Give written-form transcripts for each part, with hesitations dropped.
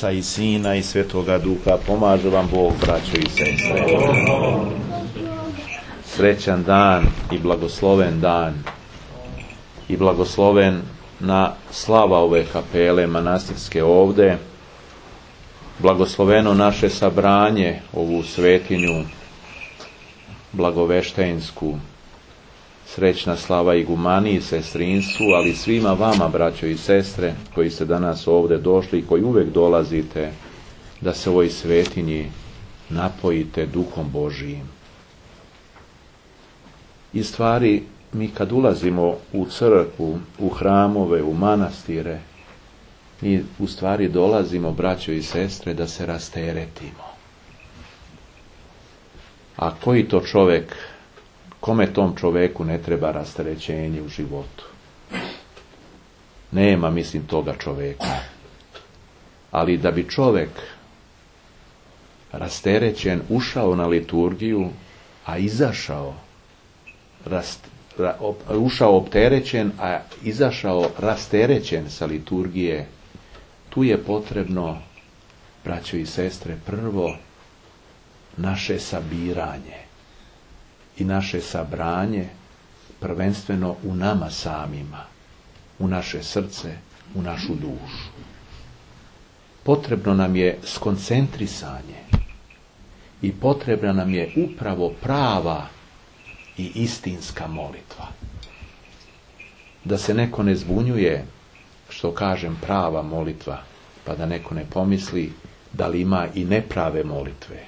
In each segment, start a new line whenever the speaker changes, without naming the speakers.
Oca i Sina i Svetoga Duha. Pomaže vam Bog, braćo i sestre. Srećan dan i blagosloven dan i blagosloven na slava ove kapele manastirske ovde. Blagosloveno naše sabranje, ovu svetinju blagoveštensku. Srećna slava igumaniji, sestrinstvu, ali svima vama, braćo i sestre, koji ste danas ovdje došli i koji uvijek dolazite, da se ovoj svetinji napojite Duhom Božijim. I stvari, mi kad ulazimo u crkvu, u hramove, u manastire, mi u stvari dolazimo, braćo i sestre, da se rasteretimo. A koji to čovjek, kome tom čovjeku ne treba rasterećenje u životu? Nema, mislim, toga čovjeka. Ali da bi čovjek rasterećen ušao na liturgiju, a izašao ušao opterećen, a izašao rasterećen sa liturgije, tu je potrebno, braćo i sestre, prvo naše sabiranje i naše sabranje, prvenstveno u nama samima, u naše srce, u našu dušu. Potrebno nam je skoncentrisanje i potrebna nam je upravo prava i istinska molitva. Da se neko ne zbunjuje što kažem prava molitva, pa da neko ne pomisli da li ima i neprave molitve.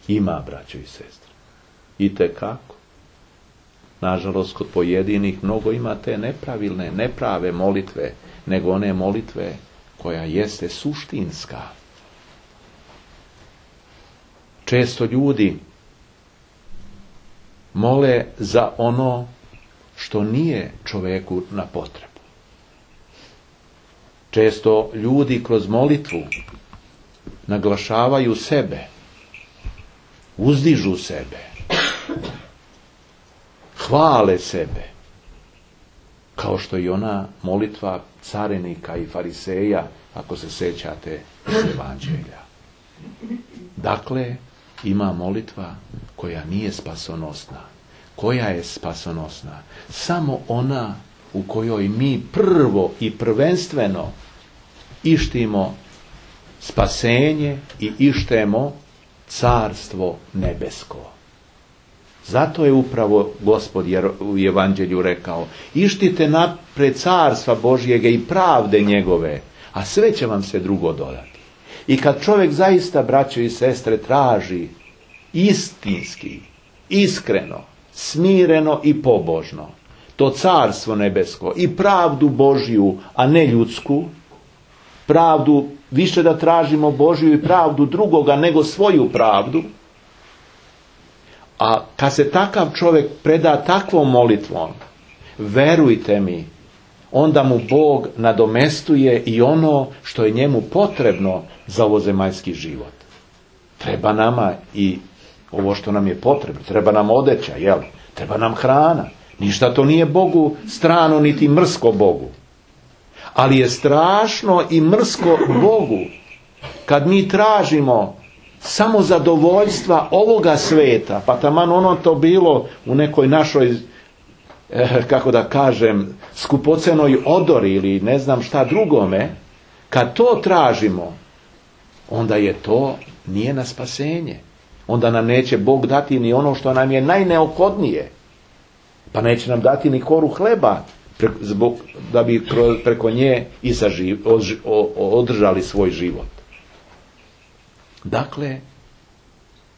Ima, braćo i sestre. Itekako. Nažalost, kod pojedinih mnogo ima te nepravilne, neprave molitve, nego one molitve koja jeste suštinska. Često ljudi mole za ono što nije čovjeku na potrebu. Često ljudi kroz molitvu naglašavaju sebe, uzdižu sebe, hvale sebe, kao što i ona molitva carinika i fariseja, ako se sjećate iz Evanđelja. Dakle, ima molitva koja nije spasonosna. Koja je spasonosna? Samo ona u kojoj mi prvo i prvenstveno ištimo spasenje i ištemo carstvo nebesko. Zato je upravo Gospod u Evanđelju rekao: ištite napred carstva Božjega i pravde njegove, a sve će vam se drugo dodati. I kad čovjek zaista, braćo i sestre, traži istinski, iskreno, smireno i pobožno to carstvo nebesko i pravdu Božju, a ne ljudsku, pravdu, više da tražimo Božju i pravdu drugoga nego svoju pravdu, a kad se takav čovjek preda takvom molitvom, verujte mi, onda mu Bog nadomestuje i ono što je njemu potrebno za ovozemaljski život. Treba nama i ovo što nam je potrebno, treba nam odeća, jel? Treba nam hrana. Ništa to nije Bogu strano, niti mrsko Bogu. Ali je strašno i mrsko Bogu kad mi tražimo samo zadovoljstva ovoga sveta, pa taman ono to bilo u nekoj našoj, kako da kažem, skupocenoj odori ili ne znam šta drugome, kad to tražimo, onda je to nije na spasenje. Onda nam neće Bog dati ni ono što nam je najneophodnije. Pa neće nam dati ni koru hleba, da bi preko nje i održali svoj život. Dakle,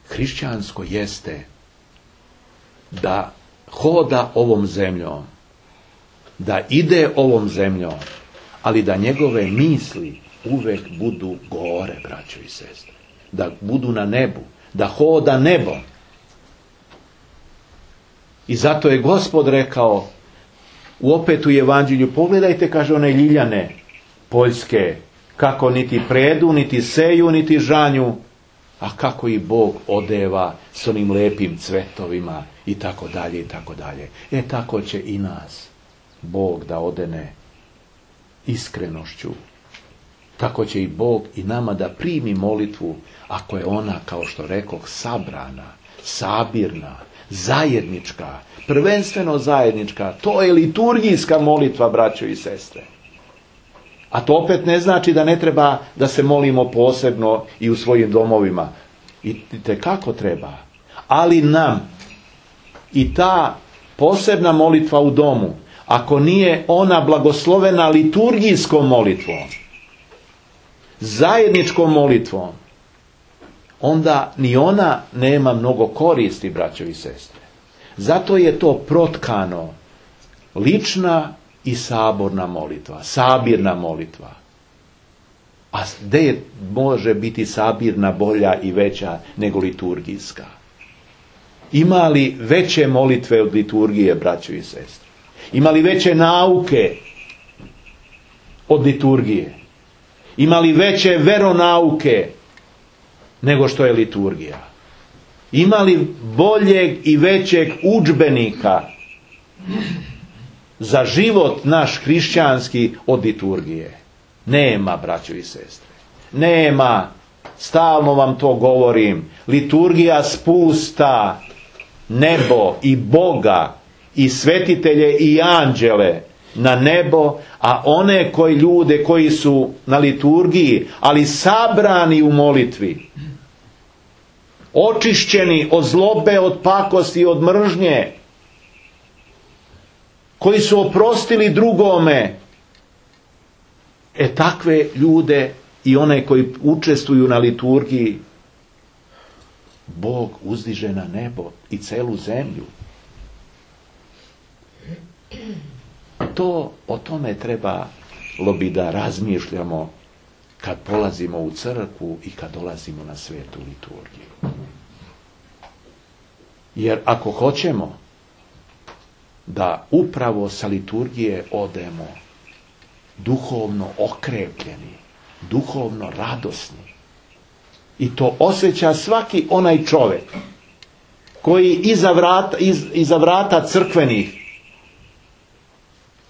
hrišćansko jeste da hoda ovom zemljom, da ide ovom zemljom, ali da njegove misli uvek budu gore, braćo i sestre. Da budu na nebu, da hoda nebom. I zato je Gospod rekao opet u Evanđelju, pogledajte, kaže, one ljiljane poljske, kako niti predu, niti seju, niti žanju, a kako i Bog odeva s onim lepim cvetovima i tako dalje i tako dalje. Tako će i nas Bog da odene iskrenošću, tako će i Bog i nama da primi molitvu, ako je ona, kao što rekoh, sabrana, sabirna, zajednička, prvenstveno zajednička. To je liturgijska molitva, braćo i sestre. A to opet ne znači da ne treba da se molimo posebno i u svojim domovima. I tekako treba. Ali nam i ta posebna molitva u domu, ako nije ona blagoslovena liturgijskom molitvom, zajedničkom molitvom, onda ni ona nema mnogo koristi, braćo i sestre. Zato je to protkano lična i saborna molitva, sabirna molitva. A gdje može biti sabirna bolja i veća nego liturgijska? Ima li veće molitve od liturgije, braćo i sestre? Ima li veće nauke od liturgije? Ima li veće veronauke nego što je liturgija? Ima li boljeg i većeg udžbenika za život naš hrišćanski od liturgije? Nema, braćo i sestre. Nema. Stalno vam to govorim. Liturgija spusta nebo i Boga i svetitelje i anđele na nebo, a one ljude koji su na liturgiji, ali sabrani u molitvi, očišćeni od zlobe, od pakosti, od mržnje, koji su oprostili drugome, takve ljude i one koji učestvuju na liturgiji, Bog uzdiže na nebo i celu zemlju. O tome trebalo bi da razmišljamo kad polazimo u crkvu i kad dolazimo na svetu liturgiju. Jer ako hoćemo da upravo sa liturgije odemo duhovno okrepljeni, duhovno radosni, i to osjeća svaki onaj čovjek koji iza vrata crkvenih,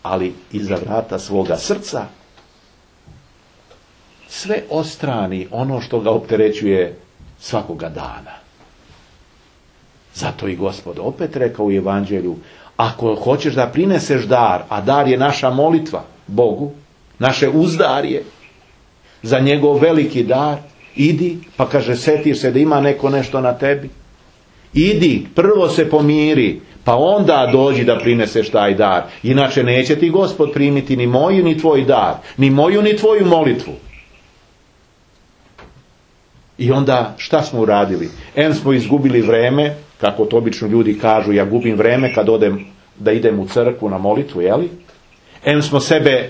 ali iza vrata svoga srca, sve ostrani ono što ga opterećuje svakoga dana. Zato i Gospod opet rekao u Evanđelju, ako hoćeš da prineseš dar, a dar je naša molitva Bogu, naše uzdarje za njegov veliki dar, idi, pa kaže, setiš se da ima neko nešto na tebi. Idi, prvo se pomiri, pa onda dođi da prineseš taj dar. Inače neće ti Gospod primiti ni moju ni tvoj dar, ni moju ni tvoju molitvu. I onda šta smo uradili? Smo izgubili vreme, kako to obično ljudi kažu, ja gubim vreme kad da idem u crkvu na molitvu, jeli? Smo sebe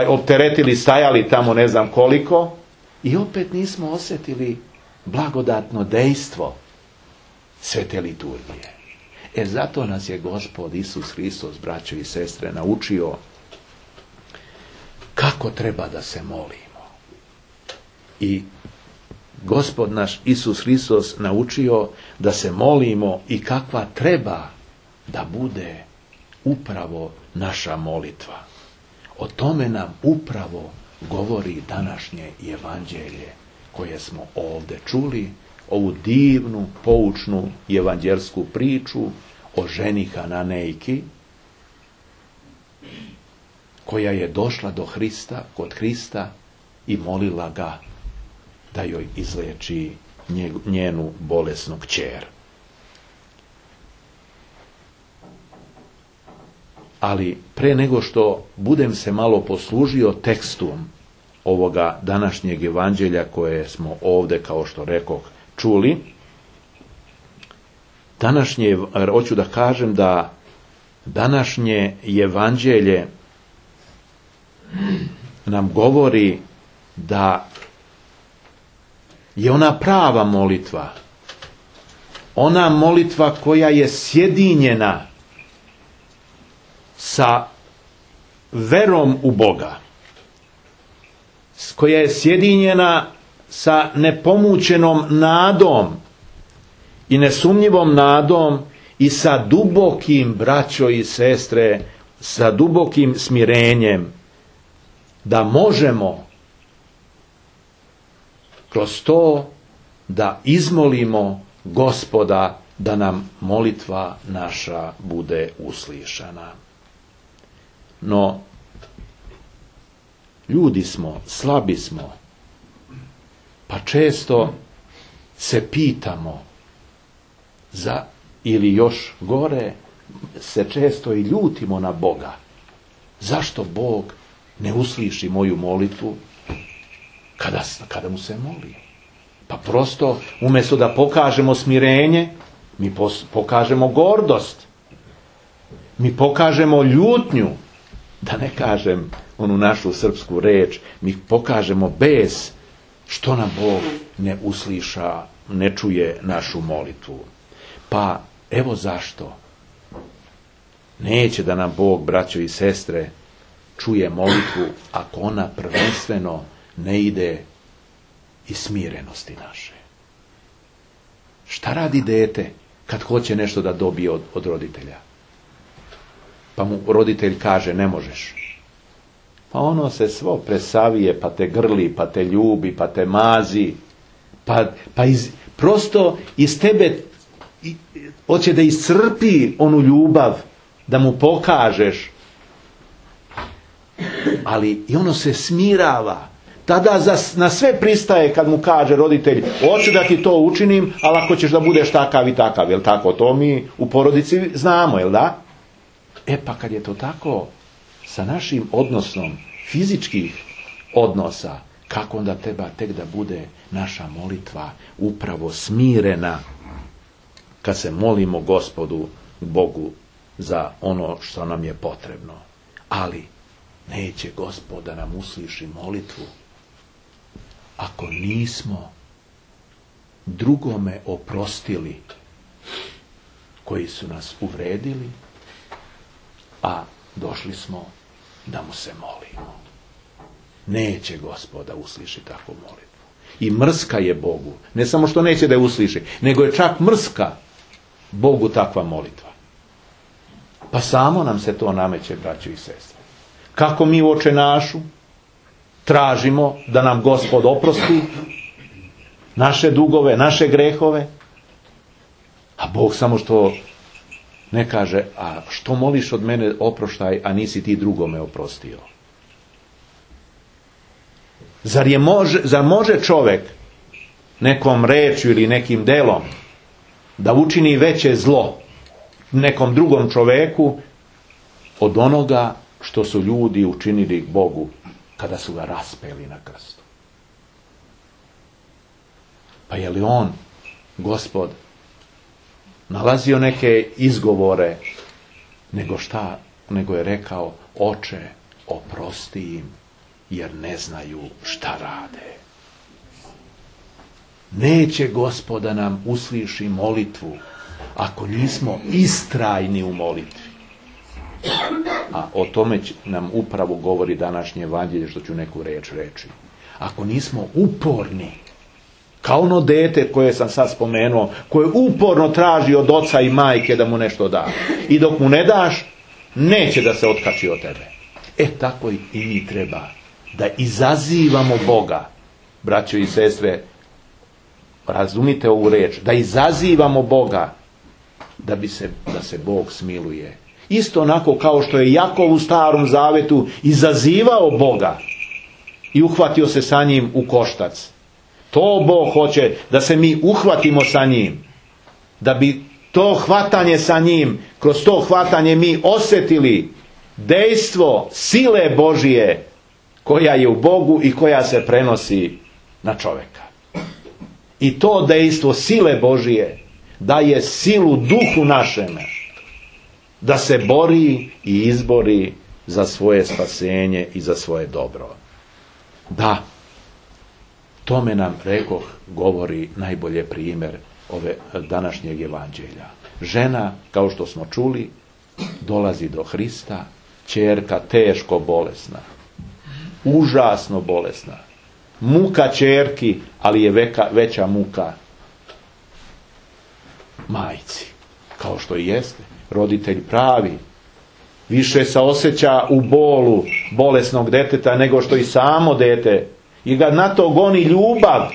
opteretili, stajali tamo ne znam koliko, i opet nismo osjetili blagodatno dejstvo svete liturgije. Zato nas je Gospod Isus Hristos, braćo i sestre, naučio kako treba da se molimo. I Gospod naš Isus Hristos naučio da se molimo i kakva treba da bude upravo naša molitva. O tome nam upravo govori današnje evanđelje koje smo ovdje čuli, ovu divnu, poučnu evanđelsku priču o ženi Hananejki, koja je došla kod Hrista i molila ga da joj izleči njenu bolesnu kćer. Ali pre nego što budem se malo poslužio tekstom ovoga današnjeg evanđelja koje smo ovdje, kao što rekoh, čuli, hoću da kažem da današnje evanđelje nam govori da je ona prava molitva, ona molitva koja je sjedinjena sa verom u Boga, koja je sjedinjena sa nepomućenom nadom i nesumnjivom nadom i sa dubokim, braćo i sestre, sa dubokim smirenjem, da možemo kroz to da izmolimo Gospoda da nam molitva naša bude uslišana. No, ljudi smo, slabi smo, pa često se pitamo ili još gore, se često i ljutimo na Boga. Zašto Bog ne usliši moju molitvu kada mu se moli? Pa prosto, umjesto da pokažemo smirenje, mi pokažemo gordost. Mi pokažemo ljutnju, da ne kažem onu našu srpsku reč, mi pokažemo bes što nam Bog ne usliša, ne čuje našu molitvu. Pa evo zašto. Neće da nam Bog, braćo i sestre, čuje molitvu ako ona prvenstveno ne ide iz smirenosti naše. Šta radi dete kad hoće nešto da dobije od roditelja? Pa mu roditelj kaže ne možeš. Pa ono se svo presavije, pa te grli, pa te ljubi, pa te mazi. Prosto iz tebe hoće da iscrpi onu ljubav, da mu pokažeš. Ali i ono se smirava. Tada na sve pristaje kad mu kaže roditelj, hoću da ti to učinim, ali ako ćeš da budeš takav i takav, jel tako? To mi u porodici znamo, jel da? Pa kad je to tako, sa našim odnosom fizičkih odnosa, kako onda treba tek da bude naša molitva upravo smirena kad se molimo Gospodu Bogu za ono što nam je potrebno. Ali neće Gospod da nam usliši molitvu ako nismo drugome oprostili koji su nas uvredili, a došli smo da mu se molimo. Neće Gospod da usliši takvu molitvu. I mrska je Bogu. Ne samo što neće da je usliši, nego je čak mrska Bogu takva molitva. Pa samo nam se to nameće, braćo i sestre. Kako mi u Oče našu tražimo da nam Gospod oprosti naše dugove, naše grehove, a Bog samo što ne kaže, a što moliš od mene oproštaj, a nisi ti drugome oprostio? Zar može čovjek nekom rečju ili nekim delom da učini veće zlo nekom drugom čovjeku od onoga što su ljudi učinili Bogu kada su ga raspeli na krstu? Pa je li on, Gospod, nalazio neke izgovore, nego je rekao, Oče, oprosti im, jer ne znaju šta rade. Neće Gospod da nam usliši molitvu ako nismo istrajni u molitvi. A o tome nam upravo govori današnje evanđelje, što ću neku reč reći. Ako nismo uporni, kao ono dete koje sam sad spomenuo, koje uporno traži od oca i majke da mu nešto da. I dok mu ne daš, neće da se otkači od tebe. Tako i mi treba da izazivamo Boga, braćo i sestre, razumite ovu reč, da izazivamo Boga da se Bog smiluje. Isto onako kao što je Jakov u Starom Zavetu izazivao Boga i uhvatio se sa njim u koštac. To Bog hoće da se mi uhvatimo sa njim, da bi to hvatanje sa njim, kroz to hvatanje mi osjetili dejstvo sile Božije koja je u Bogu i koja se prenosi na čovjeka. I to dejstvo sile Božije daje silu duhu našeme da se bori i izbori za svoje spasenje i za svoje dobro. Da, tome nam, rekoh, govori najbolje primjer ove današnjeg evanđelja. Žena, kao što smo čuli, dolazi do Hrista, ćerka teško bolesna, užasno bolesna. Muka ćerki, ali je veća muka majci, kao što i jeste. Roditelj pravi više se osjeća u bolu bolesnog deteta nego što i samo dete. I ga na to goni ljubav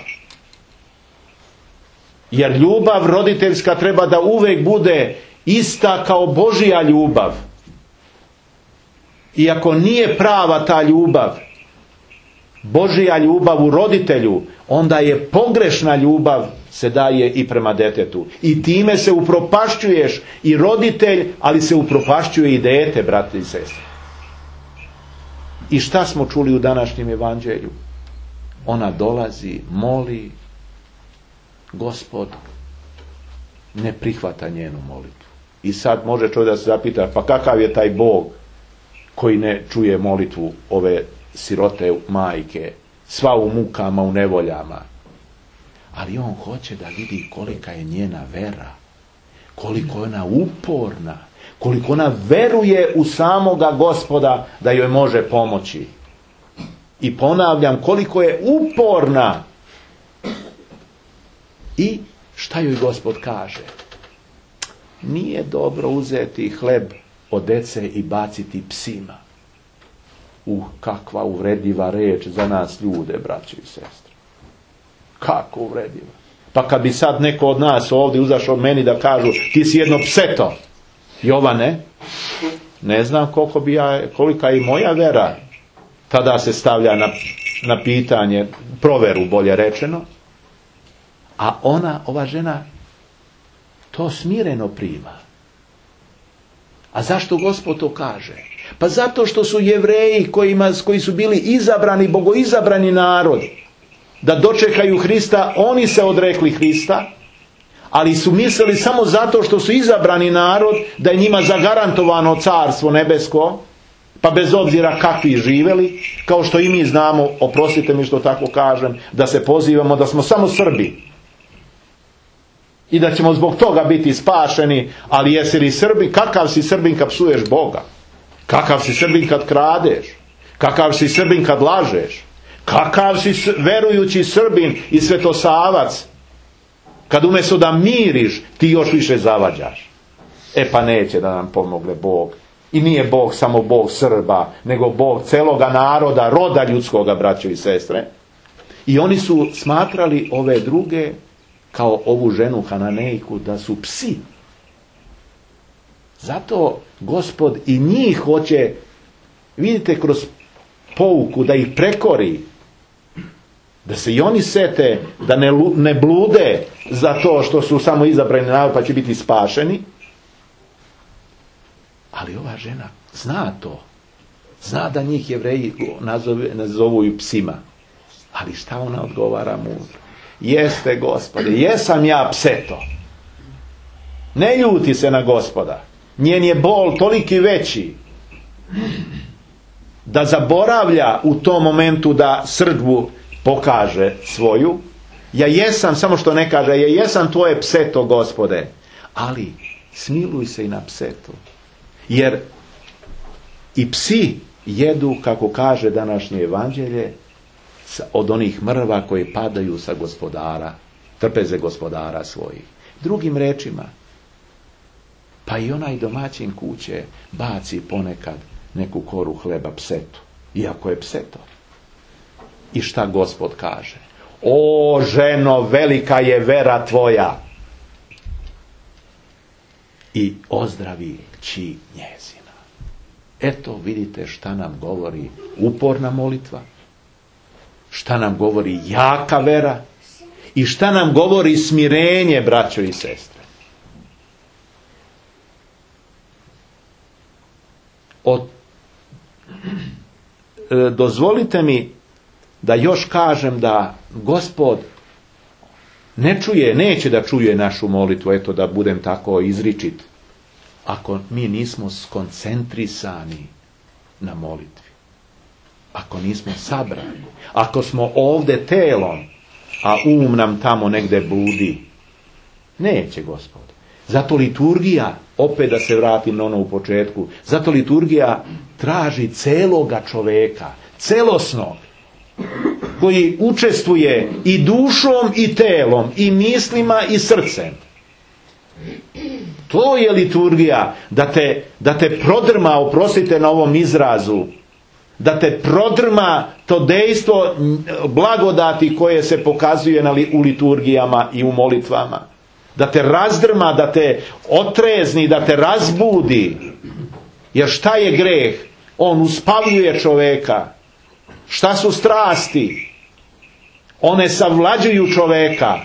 Jer ljubav roditeljska treba da uvek bude ista kao Božja ljubav. I ako nije prava ta ljubav, Božja ljubav u roditelju, onda je pogrešna ljubav se daje i prema detetu. I time se upropašćuješ i roditelj, ali se upropašćuje i dete, brate i sestre. I šta smo čuli u današnjem evanđelju? Ona dolazi, moli, Gospod ne prihvata njenu molitvu. I sad može čovjek da se zapita, pa kakav je taj Bog koji ne čuje molitvu ove sirote majke, sva u mukama, u nevoljama. Ali on hoće da vidi kolika je njena vera, koliko je ona uporna, koliko ona veruje u samoga Gospoda da joj može pomoći. I ponavljam, koliko je uporna. I šta joj Gospod kaže? Nije dobro uzeti hleb od dece i baciti psima. Kakva uvredljiva reč za nas ljude, braće i sestre. Kako uvredljiva. Pa kad bi sad neko od nas ovdje uzašao meni da kažu ti si jedno pseto, Jovane, ne znam kolika je moja vera. Tada se stavlja na pitanje, proveru bolje rečeno, a ova žena to smireno prima. A zašto Gospod to kaže? Pa zato što su Jevreji koji su bili izabrani, bogoizabrani narod, da dočekaju Hrista, oni se odrekli Hrista, ali su mislili samo zato što su izabrani narod, da je njima zagarantovano carstvo nebesko, pa bez obzira kakvi živeli, kao što i mi znamo, oprostite mi što tako kažem, da se pozivamo da smo samo Srbi. I da ćemo zbog toga biti spašeni, ali jesi li Srbin? Kakav si Srbin kad psuješ Boga? Kakav si Srbin kad kradeš? Kakav si Srbin kad lažeš? Kakav si verujući Srbin i svetosavac kad umjesto da miriš ti još više zavađaš? Pa neće da nam pomogne Bog. I nije Bog samo Bog Srba, nego Bog celoga naroda, roda ljudskoga, braćo i sestre. I oni su smatrali ove druge, kao ovu ženu Hananejku, da su psi. Zato Gospod i njih hoće, vidite, kroz pouku da ih prekori, da se i oni sete, da ne blude za to što su samo izabrani narod pa će biti spašeni. Ali ova žena zna to. Zna da njih Jevreji nazovu i psima. Ali šta ona odgovara mudro? Jeste, Gospode, jesam ja pseto. Ne ljuti se na Gospoda. Njen je bol toliki veći da zaboravlja u tom momentu da srdbu pokaže svoju. Ja jesam, samo što ne kaže, ja jesam tvoje pseto, Gospode. Ali smiluj se i na psetu. Jer i psi jedu, kako kaže današnje evanđelje, od onih mrva koje padaju sa gospodara, trpeze gospodara svojih. Drugim rečima, pa i onaj domaćin kuće baci ponekad neku koru hleba psetu, iako je pseto. I šta Gospod kaže? O ženo, velika je vera tvoja. I ozdravi kći njezina. Eto vidite šta nam govori uporna molitva, šta nam govori jaka vera i šta nam govori smirenje, braćo i sestre. Dozvolite mi da još kažem da Gospod ne čuje, neće da čuje našu molitvu, eto da budem tako izričit, ako mi nismo skoncentrisani na molitvi. Ako nismo sabrani. Ako smo ovdje telom, a nam tamo negdje bludi. Neće Gospod. Zato liturgija, opet da se vratim na ono u početku, zato liturgija traži celoga čoveka, celosnog, koji učestvuje i dušom i telom, i mislima i srcem. To je liturgija, da te prodrma, oprostite na ovom izrazu, da te prodrma to dejstvo blagodati koje se pokazuje u liturgijama i u molitvama, da te razdrma, da te otrezni, da te razbudi. Jer šta je greh? On uspavljuje čoveka. Šta su strasti? One savlađuju čoveka.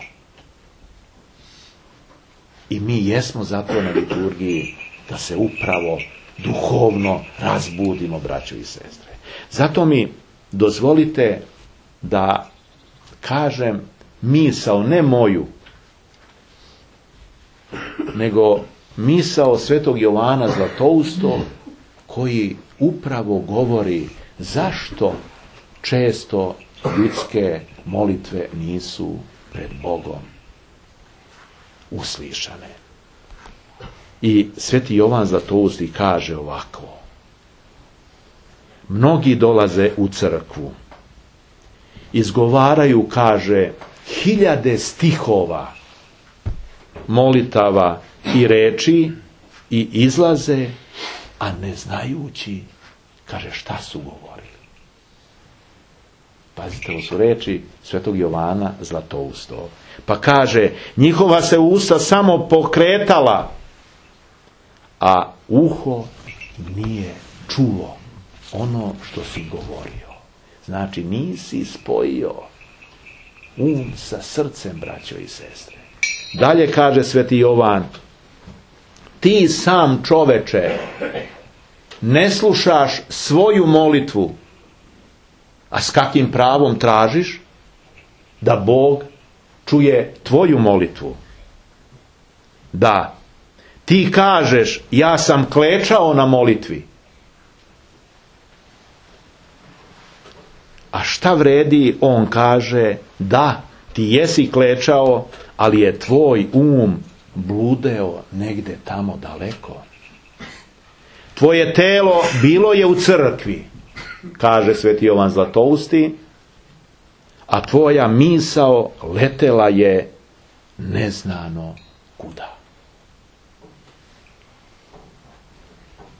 I mi jesmo zato na liturgiji da se upravo duhovno razbudimo, braćo i sestre. Zato mi dozvolite da kažem misao, ne moju, nego misao svetog Jovana Zlatoustog, koji upravo govori zašto često ljudske molitve nisu pred Bogom uslišane. I sveti Jovan Zlatousti kaže ovako: mnogi dolaze u crkvu, izgovaraju, kaže, 1000 stihova, molitava i reči i izlaze, a ne znajući, kaže, šta su govorili. Pazite, ovo su reči svetog Jovana Zlatoustog. Pa kaže, njihova se usta samo pokretala, a uho nije čulo ono što si govorio. Znači, nisi spojio sa srcem, braćo i sestre. Dalje kaže sveti Jovan: ti sam, čoveče, ne slušaš svoju molitvu, a s kakvim pravom tražiš da Bog čuje tvoju molitvu? Da, ti kažeš, ja sam klečao na molitvi. A šta vredi? On kaže, da, ti jesi klečao, ali je tvoj bludeo negde tamo daleko. Tvoje telo bilo je u crkvi, kaže sveti Jovan Zlatousti, a tvoja misao letela je neznano kuda.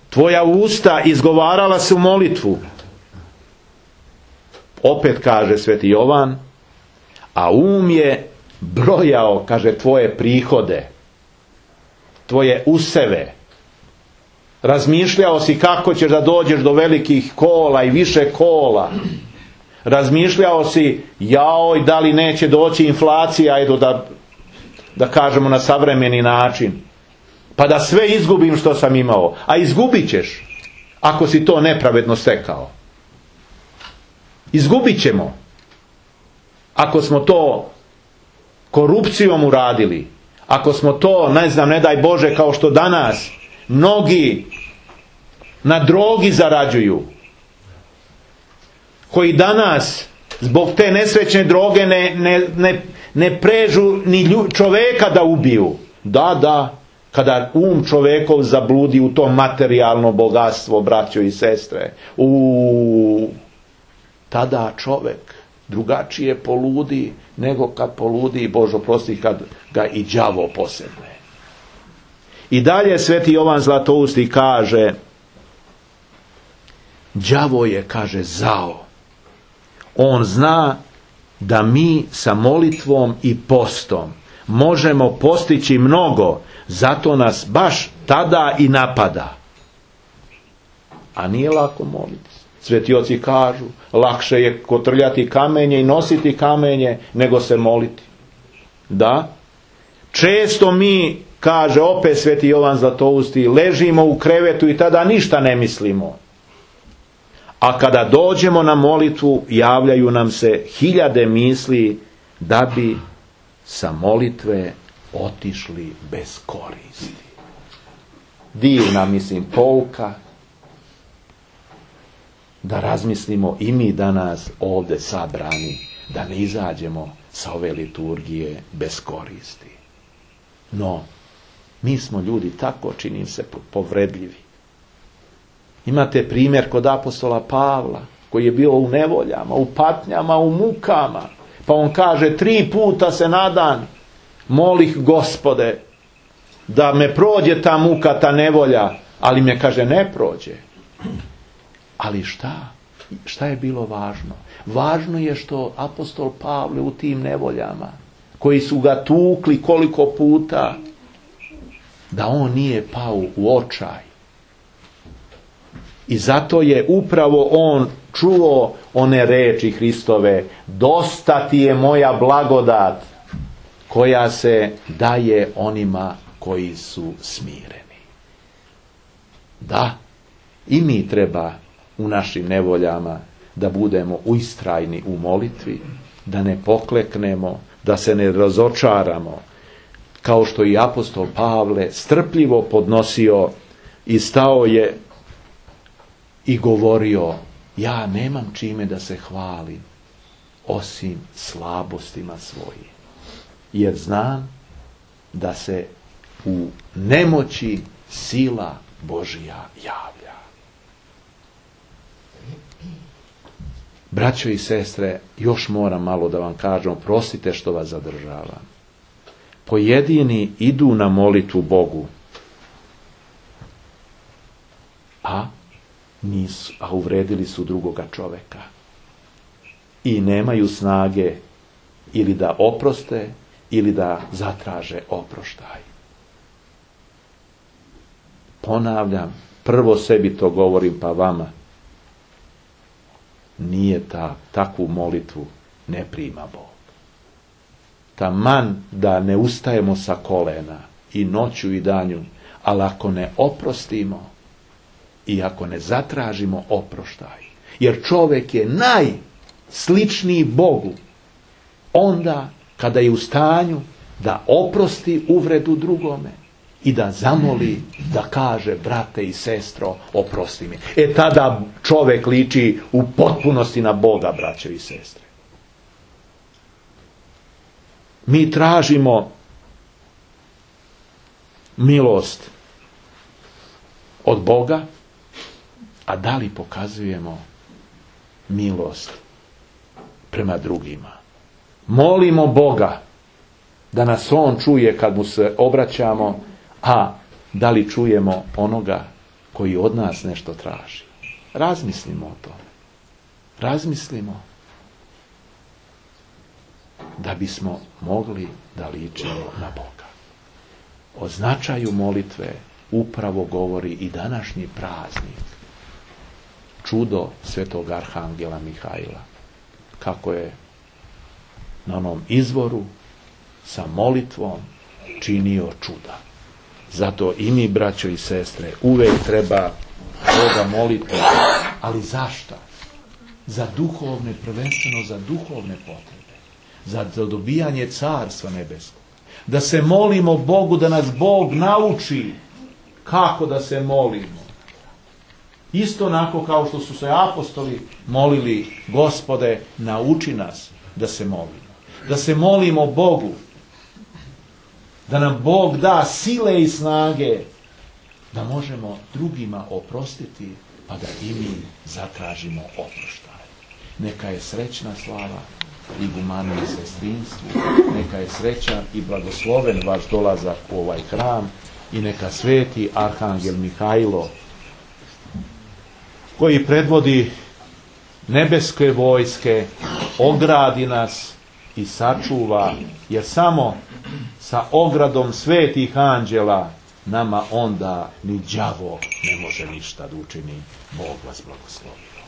Tvoja usta izgovarala su molitvu, opet kaže sveti Jovan, a je brojao, kaže, tvoje prihode, tvoje useve. Razmišljao si kako ćeš da dođeš do velikih kola i više kola. Razmišljao si, jaoj, da li neće doći inflacija, edo da kažemo na savremeni način, pa da sve izgubim što sam imao. A izgubit ćeš ako si to nepravedno stekao. Izgubit ćemo ako smo to korupcijom uradili, ako smo to, ne daj Bože, kao što danas mnogi na drogi zarađuju, koji danas zbog te nesrećne droge ne prežu ni čoveka da ubiju. Da, kada čovekov zabludi u to materijalno bogatstvo, braćo i sestre, tada čovek drugačije poludi nego kad poludi, Bože oprosti, kad ga i đavo posedne. I dalje sveti Jovan Zlatousti kaže, đavo je, kaže, zao. On zna da mi sa molitvom i postom možemo postići mnogo, zato nas baš tada i napada. A nije lako moliti. Sveti oci kažu, lakše je kotrljati kamenje i nositi kamenje nego se moliti. Da, često mi, kaže opet sveti Jovan Zlatousti, ležimo u krevetu i tada ništa ne mislimo. A kada dođemo na molitvu, javljaju nam se 1000 misli da bi sa molitve otišli bez koristi. Divna, mislim, pouka da razmislimo i mi danas ovdje sabrani, da ne izađemo sa ove liturgije bez koristi. No, mi smo ljudi tako, čini se, povredljivi. Imate primjer kod apostola Pavla, koji je bio u nevoljama, u patnjama, u mukama. Pa on kaže, 3 puta se na dan molih, Gospode, da me prođe ta muka, ta nevolja, ali me, kaže, ne prođe. Ali šta? Šta je bilo važno? Važno je što apostol Pavle u tim nevoljama, koji su ga tukli koliko puta, da on nije pao u očaj. I zato je upravo on čuo one reči Hristove: dosta ti je moja blagodat koja se daje onima koji su smireni. Da, i mi treba u našim nevoljama da budemo ustrajni u molitvi, da ne pokleknemo, da se ne razočaramo, kao što i apostol Pavle strpljivo podnosio i stao je i govorio: ja nemam čime da se hvalim osim slabostima svojim, jer znam da se u nemoći sila Božja javlja. Braćo i sestre, još moram malo da vam kažem, prostite što vas zadržavam. Pojedini idu na molitvu Bogu, a uvredili su drugoga čoveka i nemaju snage ili da oproste ili da zatraže oproštaj. Ponavljam, prvo sebi to govorim, pa vama. Nije takvu molitvu ne prima Bog. Taman da ne ustajemo sa kolena i noću i danju, ali ako ne oprostimo i ako ne zatražimo oproštaj, jer čovjek je najsličniji Bogu onda kada je u stanju da oprosti uvredu drugome i da zamoli, da kaže: brate i sestro, oprosti mi. Tada čovjek liči u potpunosti na Boga, braćo i sestre. Mi tražimo milost od Boga, a da li pokazujemo milost prema drugima? Molimo Boga da nas On čuje kad mu se obraćamo, a da li čujemo onoga koji od nas nešto traži? Razmislimo o tome. Razmislimo da bismo mogli da ličimo na Boga. O značaju molitve upravo govori i današnji praznik, čudo svetog arhangela Mihajla, kako je na onom izvoru sa molitvom činio čuda. Zato i mi, braćo i sestre, uvek treba Boga moliti. Ali zašto? Za duhovne, prvenstveno za duhovne potrebe. Za dobijanje carstva nebeskog. Da se molimo Bogu, da nas Bog nauči kako da se molimo. Isto onako kao što su se apostoli molili: Gospode, nauči nas da se molimo. Da se molimo Bogu, da nam Bog da sile i snage da možemo drugima oprostiti, pa da i mi zatražimo oproštaj. Neka je srećna slava igumanu i sestrinstvu, neka je srećan i blagosloven vaš dolazak u ovaj hram i neka sveti arhangel Mihajlo, koji predvodi nebeske vojske, ogradi nas i sačuva, jer samo sa ogradom svetih anđela nama onda ni đavo ne može ništa da učini. Bog vas blagoslovi.